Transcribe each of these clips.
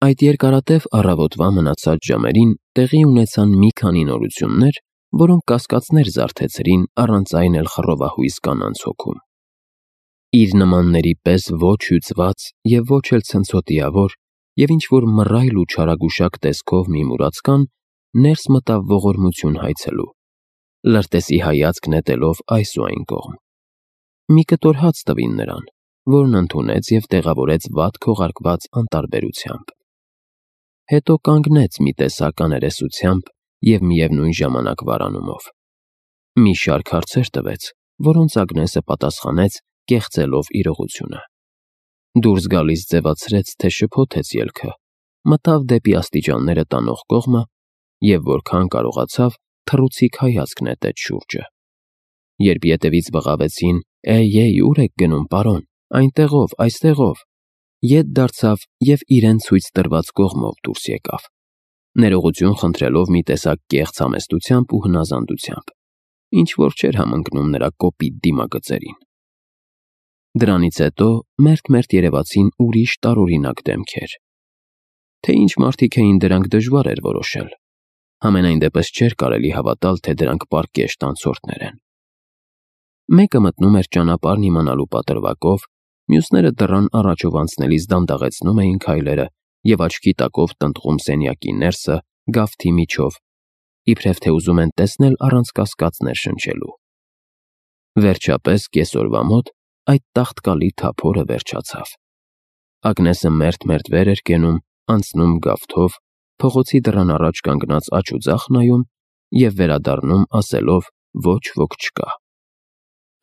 Այդ երկարատև առավոտվա մնացած ժամերին տեղի ունեցան մի քանի նորություններ, որոնք կասկածներ զարթեցրին առանց այն էլ խռովահույս կանանց հոգում։ Իր նմանների պես ոչ հյուծված և ոչ էլ ցնցոտիավոր և ինչ-որ մռայլ ու չարագուշակ տեսքով մի մուրացկան ներս մտավ ողորմություն հայցելու, լրտեսի հայացք նետելով այս ու այն կողմ։ Մի կտոր հաց տվին նրան, որն ընդունեց և տեղավորեց վատ քողարկված անտարբերությամբ։ Հետո կանգնեց մի տեսակ աներեսությամբ և միևնույն ժամանակ վարանումով։ Մի շարք հարցեր տվեց, որոնց Ագնեսը պատասխանեց կեղծելով իրողությունը։ Դուրս գալիս ձևացրեց, թե շփոթեց ելքը, մտավ դեպի աստիճանները տանող կողմը և որքան կարողացավ թռուցիկ հայացք նետեց շուրջը։ Երբ ետևից բղավեցին. «Էй, ուր եք գնում, պարոն, այնտեղով, այստեղով», ետ դարձավ և իրեն ցույց տրված կողմով դուրս եկավ, ներողություն խնդրելով մի տեսակ կեղծ համեստությամբ ու հնազանդությամբ, ինչ-որ չէր համընկնում նրա կոպիտ դիմագծերին։ Դրանից հետո մերթ-մերթ երևացին ուրիշ տարօրինակ դեմքեր։ Թե ինչ մարդիկ էին դրանք դժվար էր որոշել։ Համենայն դեպս չէր կարելի հավատալ, թե դրանք պարկեշտ անցորդներ են։ Մեկը մտնում էր ճանապարհն իմանալու պատրվակով, մյուսները դռան առաջով անցնելիս դանդաղեցնում էին քայլերը և աչքի տակով տնտղում սենյակի ներսը գավթի միջով, իբրև թե ուզում են տեսնել առանց կասկածներ շնչելու։ Վերջապես կեսօրվա մոտ այդ տաղտկալի թափորը վերջացավ։ Ագնեսը մերթ-մերթ վեր էր կենում, անցնում գավթով, փողոցի դռան առաջ կանգնած աջ ու ձախ նայում և վերադառնում ասելով. «Ոչ ոք չկա»։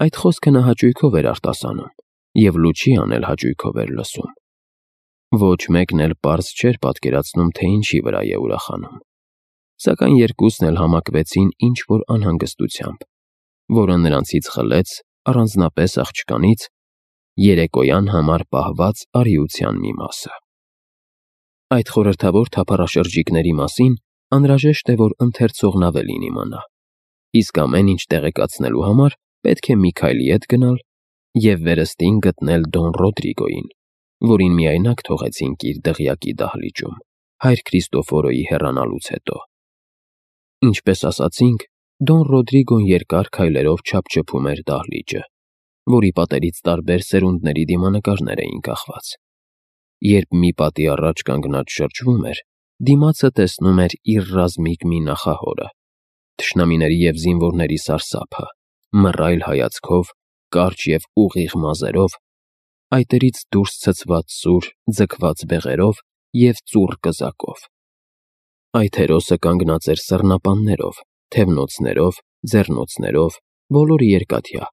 Այդ խոսքը նա հաճույքով էր արտասանում և լուչի անել հաճույքով էր լսում։ Ոչ մեկն էլ պարզ չէր պատկերացնում, թե ինչի վրա է ուրախանում, սակայն երկուսն էլ համակվեցին ինչ-որ անհանգստությամբ, որը նրանցից խլեց առանձնապես աղջկանից երեկոյան համար պահված արիության մի մասը։ Այդ խորհրդավոր թափառաշրջիկների մասին անհրաժեշտ է, որ ընթերցողն ավելին իմանա, իսկ ամեն ինչ տեղեկացնելու համար պետք է մի քայլ ետ գնալ և վերստին գտնել Դոն Ռոդրիգոյին, որին միայնակ թողեցինք իր դղյակի դահլիճում, Հայր Քրիստոֆորոյի հեռանալուց հետո։ Ինչպես ասացինք, Դոն Ռոդրիգոն երկար քայլերով չափչփում էր դահլիճը, որի պատերից տարբեր սերունդների դիմանկարներ էին կախված։ Երբ մի պատի առաջ կանգնած շրջվում էր, դիմացը տեսնում էր իր ռազմիկ մի նախահորը, թշնամիների և զինվորների սարսափը, մռայլ հայացքով, կարճ և ուղիղ մազերով, այտերից դուրս ցցված սուր, ձգված բեղերով և ծուռ կզակով։ Այդ հերոսը կանգնած էր սռնապաններով, թևնոցներով, ձեռնոցներով, բոլորը երկաթյա,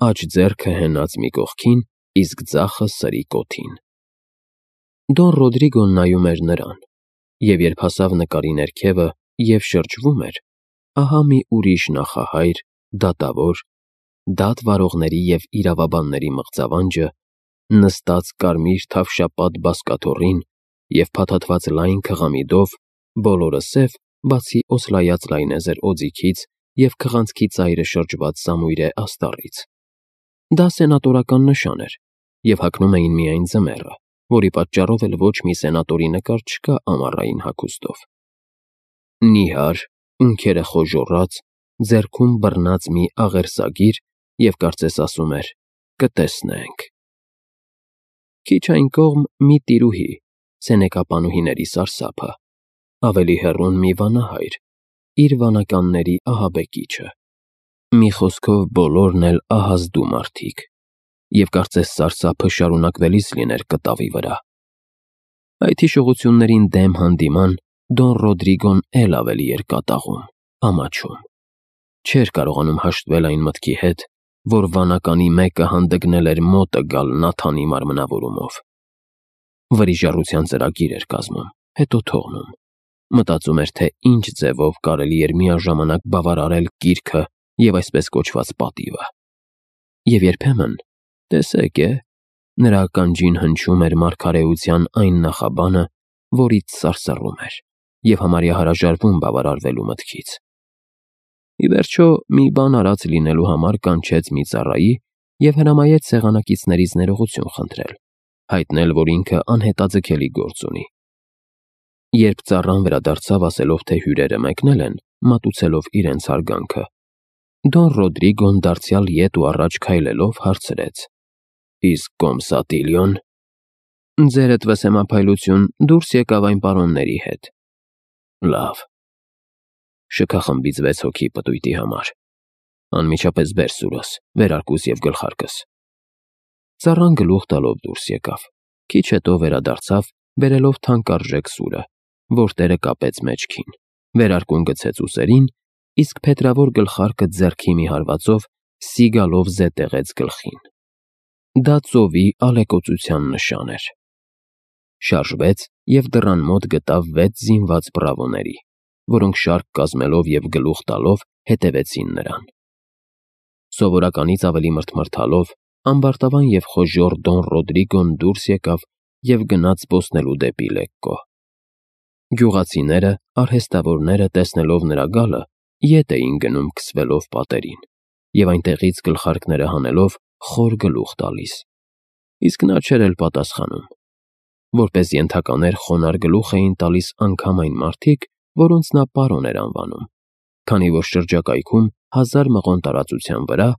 աջ ձեռքը հենած մի կողքին, իսկ ձախը սրի կոթին։ Դոն Ռոդրիգոն նայում էր նրան, և երբ հասավ նկարի ներքևը և շրջվում էր, ահա մի ուրիշ նախահայր, դատավոր, դատ վարողների և իրավաբանների մղձավանջը, նստած կարմիր թավշապատ բազկաթոռին և փաթաթված լայն քղամիդով, բոլորը սև, բացի օսլայած լայնեզր օձիքից և քղանցքի ծայրը շրջված սամույրե աստառից։ Դա սենատորական նշան էր, և հագնում էին միայն ձմեռը, որի պատճառով էլ ոչ մի սենատորի նկար չկա ամառային հագուստով։ Նիհար, ունքերը խոժոռած, ձեռքում բռնած մի աղերսագիր և կարծես ասում էր. «Կտեսնենք»։ Քիչ այն կողմ մի տիրուհի, սենեկապանուհիների սարսափը, ավելի հեռուն մի վանահայր, իր վանականների ահաբեկիչը։ Մի խոսքով բոլորն էլ ահազդու մարդիկ, և կարծես սարսափը շարունակվելիս լիներ կտավի վրա։ Այդ հիշողություններին դեմ հանդիման Դոն Ռոդրիգոն էլ ավելի էր կատաղում, ամաչում։ Չէր կարողանում հաշտվել այն մտքի հետ, որ վանականի մեկը հանդգնել էր մոտը գալ Նաթանի մարմնավորումով։ Վրիժառության ծրագիր էր կազմում, հետո թողնում։ Մտածում էր, թե ինչ ձևով կարելի էր միաժամանակ բավարարել կիրքը և այսպես կոչված պատիվը։ Եվ երբեմն, տեսեք, նրա ականջին հնչում էր մարգարեության այն նախաբանը, որից սարսռում էր և համարյա հրաժարվում բավարարվելու մտքից։ Ի վերջո, մի բան արած լինելու համար կանչեց մի ծառայի և հրամայեց սեղանակիցներից ներողություն խնդրել, հայտնել, որ ինքը անհետաձգելի գործ ունի, Երբ ծառան վերադարձավ ասելով, թե հյուրերը մեկնել են, մատուցելով իրենց հարգանքը, Դոն Ռոդրիգոն դարձյալ ետ ու առաջ քայլելով հարցրեց. «Իսկ Կոմսատիլիոն»։ «Ձերդ վսեմափայլություն դուրս եկավ այն պարոնների հետ»։ «Լավ»։ Շքախմբից 6 հոգի պտույտի համար։ Անմիջապես բեր սուրս, վերարկուս և գլխարկս։ Ծառան գլուխ տալով դուրս եկավ, քիչ հետո վերադարձավ, բերելով թանկարժեք սուրը, որ տերը կապեց մեջքին, վերարկուն գցեց ուսերին, իսկ փետրավոր գլխարկը ձեռքի մի հարվածով սիգալով զետեղեց գլխին։ Դա ծովի ալեկոծության նշան էր։ Շարժվեց և դռան մոտ գտավ 6 զինված բրավոների, որոնք շարք կազմելով և գլուխ տալով հետևեցին նրան։ Սովորականից ավելի մռթմռթալով, ամբարտավան և խոժոռ Դոն Ռոդրիգոն դուրս եկավ և գնաց զբոսնելու դեպի Լեկկո։ Գյուղացիները, արհեստավորները, տեսնելով նրա գալը, ետ էին գնում քսվելով պատերին և այնտեղից գլխարկները հանելով խոր գլուխ տալիս, իսկ նա չէր էլ պատասխանում։ Որպես ենթականեր խոնարհ գլուխ էին տալիս անգամ այն մարդիկ, որոնց նա պարոն էր անվանում, քանի որ շրջակայքում 1000 մղոն տարածության վրա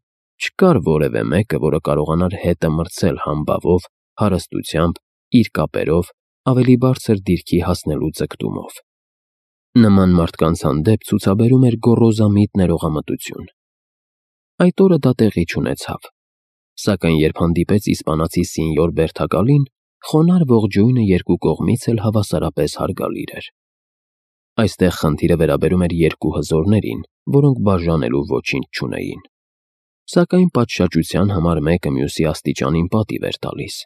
չկար որևէ մեկը, որը կարողանար հետը մրցել համբավով, հարստությամբ, իր կապերով, ավելի բարձր դիրքի հասնելու ձգտումով։ Նման մարդկանց հանդեպ ցուցաբերում էր գոռոզամիտ ներողամտություն։ Այդ օրը դա տեղի չունեցավ, սակայն երբ հանդիպեց իսպանացի սինյոր Բերթակալին, խոնարհ ողջույնը երկու կողմից էլ հավասարապես հարգալիր էր։ Այստեղ խնդիրը վերաբերում էր երկու հզորներին, որոնք բաժանելու ոչինչ չունեին, սակայն պատշաճության համար մեկը մյուսի աստիճանին պատիվ էր տալիս։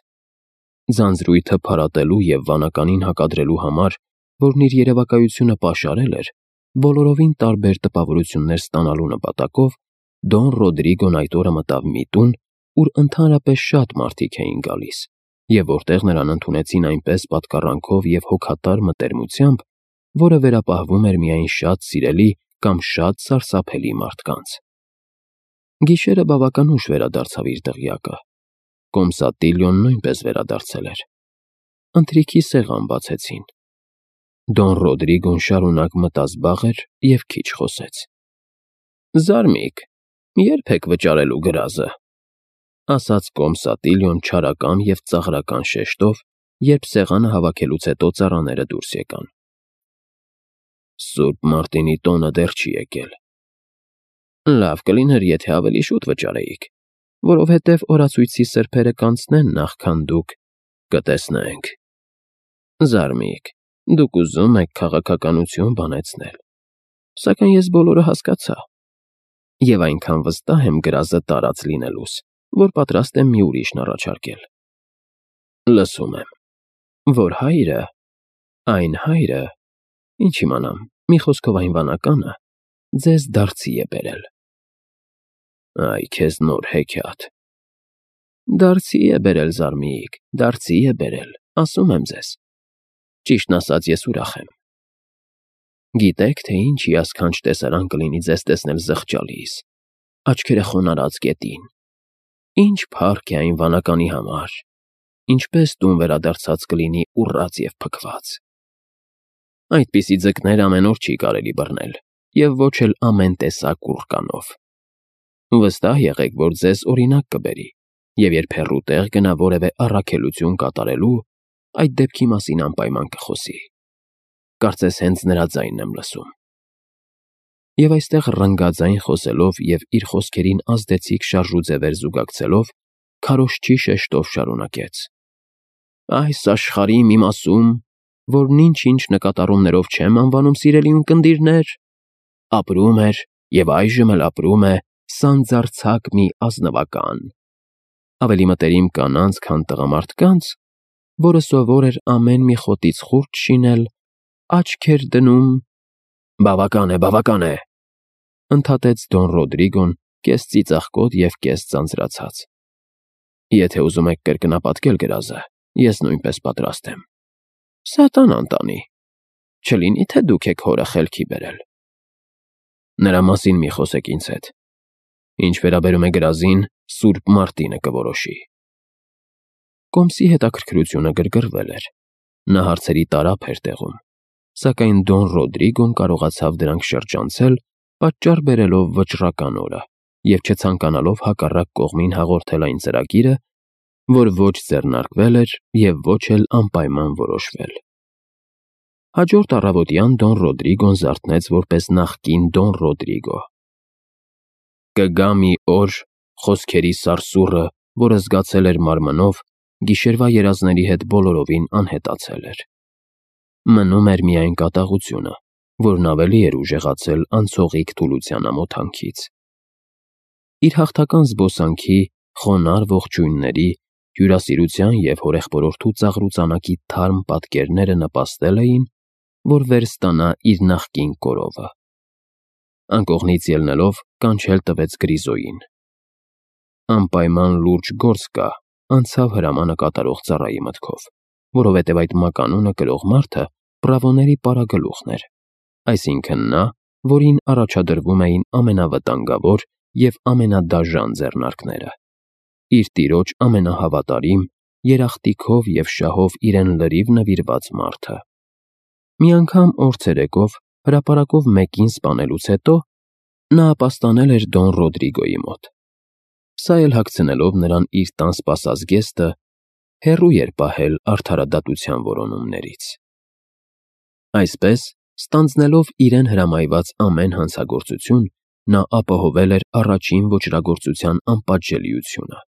Ձանձրույթը փարատելու և վանականին հակադրելու համար, որն իր երևակայությունը պաշարել էր, բոլորովին տարբեր տպավորություններ ստանալու նպատակով, Դոն Ռոդրիգոն այդ օրը մտավ մի տուն, ուր ընդհանրապես շատ մարդիկ էին գալիս, և որտեղ նրան ընդունեցին այնպես պատկառանքով և հոգատար մտերմությամբ, որը վերապահվում էր միայն շատ սիրելի կամ շատ սարսափելի մարդկանց։ Գիշերը բավական ուշ վերադարձավ իր դղյակը։ Կոմսատիլիոն նույնպես վերադարձել էր։ Ընթրիքի սեղան բացեցին։ Դոն Ռոդրիգոն շարունակ մտազբաղ էր և քիչ խոսեց։ «Զարմիկ, ե՞րբ եք վճարելու գրազը», ասաց Կոմսատիլիոն չարական և ծաղրական շեշտով, երբ սեղանը հավաքելուց հետո ծառաները դուրս եկան։ «Սուրբ Մարտինի տոնը դեռ չի եկել»։ «Լավ կլիներ, եթե ավելի շուտ վճարեիք, որովհետև օրացույցի սրբերը կանցնեն, նախքան դուք կտեսնենք։ Զարմիկ, դուք ուզում եք քաղաքականություն բանեցնել, սակայն ես բոլորը հասկացա և այնքան վստահ եմ գրազը տարած լինելուս, որ պատրաստ եմ մի ուրիշն առաջարկել»։ «Լսում եմ, որ հայրը, այն հայրը, ինչ իմանամ, մի խոսքով այն վանականը, ձեզ դարձի է բերել»։ «Այ քեզ նոր հեքիաթ»։ «Դարձի է բերել, զարմիկ, դարձի է բերել, ասում եմ ձեզ։ Ճիշտն ասած, ես ուրախ եմ։ Գիտեք, թե ինչ հիասքանչ տեսարան կլինի ձեզ տեսնել զղջալիս, աչքերը խոնարհած գետին։ Ինչ փառք է այն վանականի համար, ինչպես տուն վերադարձած կլինի ուռած և փքված։ Այդպիսի ձկներ ամեն օր չի կարելի բռնել, և ոչ էլ ամեն տեսակ ուռկանով։ Վստահ եղեք, որ ձեզ օրինակ կբերի, և երբ հեռու տեղ գնա որևէ առաքելություն կատարելու, այդ դեպքի մասին անպայման կխոսի։ Կարծես հենց նրա ձայնն եմ լսում»։ Եվ այստեղ ռնգաձայն խոսելով և իր խոսքերին ազդեցիկ շարժուձևեր զուգակցելով, քարոզչի շեշտով շարունակեց. «Այս աշխարհի մի մասում, որն ինչ-ինչ նկատառումներով չեմ անվանում սիրելի ունկնդիրներ, ապրում էր և այժմ էլ ապրում է սանձարձակ մի ազնվական, ավելի մտերիմ կանանց, քան տղամարդկանց, որը սովոր էր ամեն մի խոտից խուրդ շինել, աչքեր դնում»։ Բավական է, ընդհատեց Դոն Ռոդրիգոն, կես ծիծաղկոտ և կես ձանձրացած։ Եթե ուզում եք կրկնապատկել գրազը, ես նույնպես պատրաստ եմ։ Սատանան տանի, չլինի թե դուք եք հորը խելքի բերել։ Նրա մասին մի խոսեք ինձ հետ։ Ինչ վերաբերում է գրազին, Սուրբ Մարտինը կորոշի։ Կոմսի հետաքրքրությունը գրգռվել էր։ Նա հարցերի տարափ էր տեղում, սակայն Դոն Ռոդրիգոն կարողացավ դրանք շրջանցել, պատճառ բերելով վճռական օրը և չցանկանալով հակառակ կողմին հաղորդել այն ծրագիրը, որ ոչ ձեռնարկվել էր և ոչ էլ անպայման որոշվել։ Հաջորդ առավոտյան Դոն Ռոդրիգոն զարթնեց որպես նախկին Դոն Ռոդրիգո։ Կգա մի օր, խոսքերի սարսուռը, որը զգացել էր մարմնով, գիշերվա երազների հետ բոլորովին անհետացել էր։ Մնում էր միայն կատաղությունը, որն ավելի էր ուժեղացել անցողիկ թուլության ամոթանքից։ Իր հաղթական զբոսանքի, խոնարհ ողջույնների, հյուրասիրության և հորեղբորորդու ծաղրուծանակի թարմ պատկերները նպաստել էին, որ վերստանա իր նախկին կորովը։ Անկողնից ելնելով կանչել տվեց Գրիզոյին։ Անպայման լուրջ գործ կա, անցավ հրամանը կատարող ծառայի մտքով, որովհետև այդ մականունը կրող մարդը պրավոների պարագլուխն էր, այսինքն նա, որին առաջադրվում էին ամենավտանգավոր և ամենադաժան ձեռնարկները, իր տիրոջ ամենահավատարիմ, երախտիկով և շահով իրեն լրիվ նվիրված մարդը։ Մի անգամ օր ցերեկով հրապարակով մեկին սպանելուց հետո նա ապաստանել էր Դոն Ռոդրիգոյի մոտ։ Սա էլ հագցնելով նրան իր տան սպասած գեստը, հեռու էր պահել արդարադատության որոնումներից։ Այսպես, ստանձնելով իրեն հրամայված ամեն հանցագործություն, նա ապահովել էր առաջին ոճրագործության անպատժելիությունը։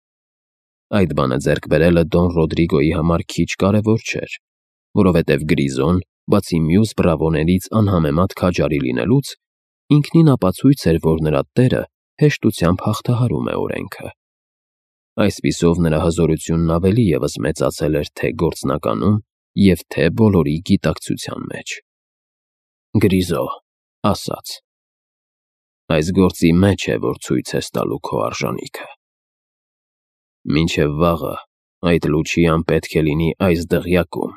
Այդ բանը ձեռք բերելը Դոն Ռոդրիգոյի համար քիչ կարևոր չէր, որովհետև Գրիզոն, բացի մյուս բրավոներից անհամեմատ քաջարի լինելուց, ինքնին ապացույց էր, որ նրա տերը հեշտությամբ հաղթահարում է օրենքը։ Այսպիսով նրա հզորությունն ավելի ևս մեծացել էր թե գործնականում և թե բոլորի գիտակցության մեջ։ Գրիզո, ասաց. այս գործի մեջ է, որ ցույց ես տալու քո արժանիքը։ Մինչև վաղը այդ լուչիան պետք է լինի այս դղյակում։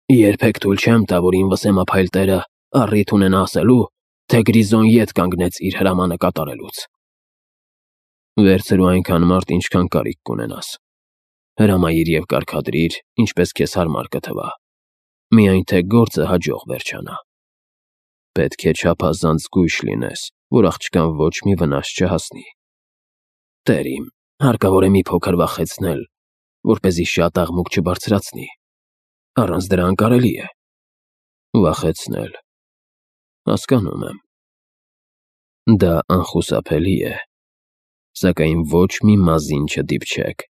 Երբեք թույլ չեմ տա, որ ինվսեմափայլ տերը առիթ ունենա ասելու, թե Գրիզոն ետ կանգնեց իր հրամանը կատարելուց։ Վերցրու այնքան մարդ, ինչքան կարիք կունենաս։ Հրամայիր և կարգադրիր, ինչպես քեզ հարմար կթվա, միայն թե գործը հաջող վերջանա։ Պետք է չափազանց զգույշ լինես, որ աղջկան ոչ մի վնաս չհասնի։ Տեր իմ, հարկավոր է մի փոքր վախեցնել, որպեսզի շատ աղմուկ չբարձրացնի։ Առանց դրա անկարելի է։ Վախեցնել։ Հասկանում եմ։ Դա անխուսափելի է, սակայն ոչ մի մազին չդիպչեք։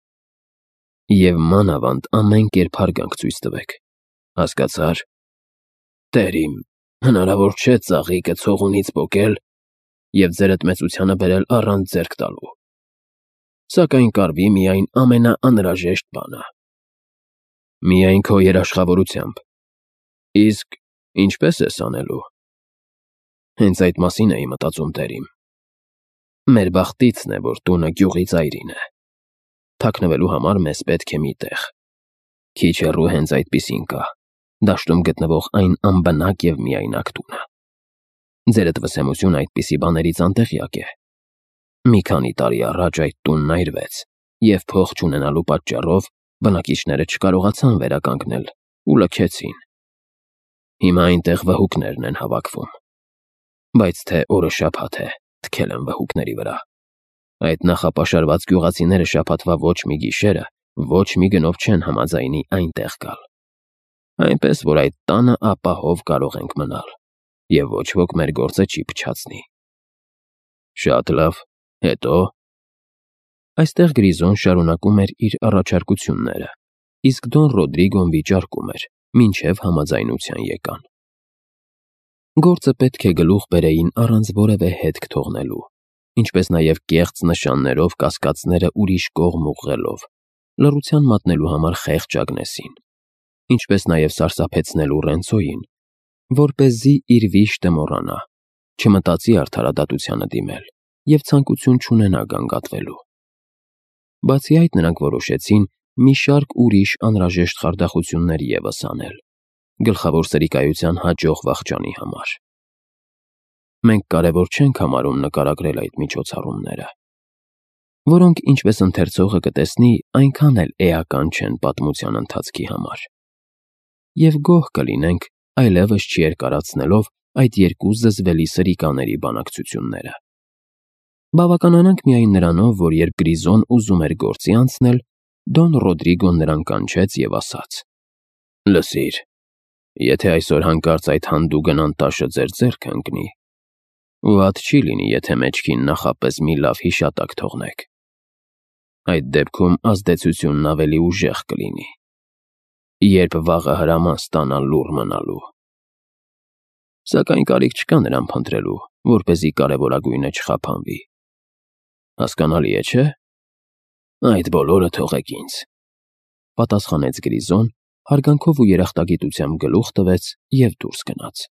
Եվ մանավանդ ամեն կերպ հարգանք ցույց տվեք։ Հասկացա՞ր։ Տեր իմ, հնարավոր չէ ծաղիկը ցողունից պոկել և ձերդ մեծությանը բերել առանց ձեռք տալու։ Սակայն կարվի միայն ամենաանհրաժեշտ բանը։ Միայն քո երաշխավորությամբ։ Իսկ ինչպե՞ս ես անելու։ Հենց այդ մասին էի մտածում, տեր իմ։ Մեր բախտիցն է, որ տունը գյուղի ծայրին է։ Թաքնվելու համար մեզ պետք է մի տեղ։ Քիչ հեռու հենց այդպիսին կա, դաշտում գտնվող այն անբնակ և միայնակ տունը։ Ձերդ վսեմությունը այդպիսի բաներից անտեղյակ է։ Մի քանի տարի առաջ այդ տունն այրվեց, և փող չունենալու պատճառով բնակիչները չկարողացան վերականգնել ու լքեցին։ Հիմա այնտեղ վհուկներն են հավաքվում։ Բայց թե օրը շաբաթ է, թքել են վհուկների վրա։ Այդ նախապաշարված գյուղացիները շաբաթվա ոչ մի գիշերը, ոչ մի գնով չեն համաձայնի այնտեղ գալ։ Այնպես որ այդ տանը ապահով կարող ենք մնալ, և ոչ ոք մեր գործը չի փչացնի։ Շատ լավ, հետո։ Այստեղ Գրիզոն շարունակում էր իր առաջարկությունները, իսկ Դոն Ռոդրիգոն վիճարկում էր, մինչև համաձայնության եկան։ Գործը պետք է գլուխ բերեին առանց որևէ հետք թողնելու, ինչպես նաև կեղծ նշաններով կասկածները ուրիշ կողմ ուղղելով, լռության մատնելու համար խեղճ Ագնեսին, ինչպես նաև սարսափեցնելու Ռենցոյին, որպեսզի իր վիշտը մոռանա, չմտածի արդարադատությանը դիմել և ցանկություն չունենա գանգատվելու։ Բացի այդ նրանք որոշեցին մի շարք ուրիշ անհրաժեշտ խարդախություններ ևս անել, գլխավոր սրիկայության հաջող վախճանի համար։ Մենք կարևոր չենք համարում նկարագրել այդ միջոցառումները, որոնք, ինչպես ընթերցողը կտեսնի, այնքան էլ էական չեն պատմության ընթացքի համար։ Եվ գոհ կլինենք, այլևս չերկարացնելով այդ երկու զզվելի սրիկաների բանակցությունները։ Բավականանանք միայն նրանով, որ երբ Գրիզոն ուզում էր գործի անցնել, Դոն Ռոդրիգոն նրան կանչեց և ասաց. «Լսիր, եթե այսօր հանկարծ այդ հանդուգն անտաշը ձեր ձեռքը ընկնի, վատ չի լինի, եթե մեջքին նախապես մի լավ հիշատակ թողնեք։ Այդ դեպքում ազդեցությունն ավելի ուժեղ կլինի, երբ վաղը հրաման ստանա լուռ մնալու։ Սակայն կարիք չկա նրան փնտրելու, որպեսզի կարևորագույնը չխափանվի։ Հասկանալի է, չէ՞։ Այդ բոլորը թողեք ինձ», պատասխանեց Գրիզոն, հարգանքով ու երախտագիտությամբ գլուխ տվեց և դուրս գնաց։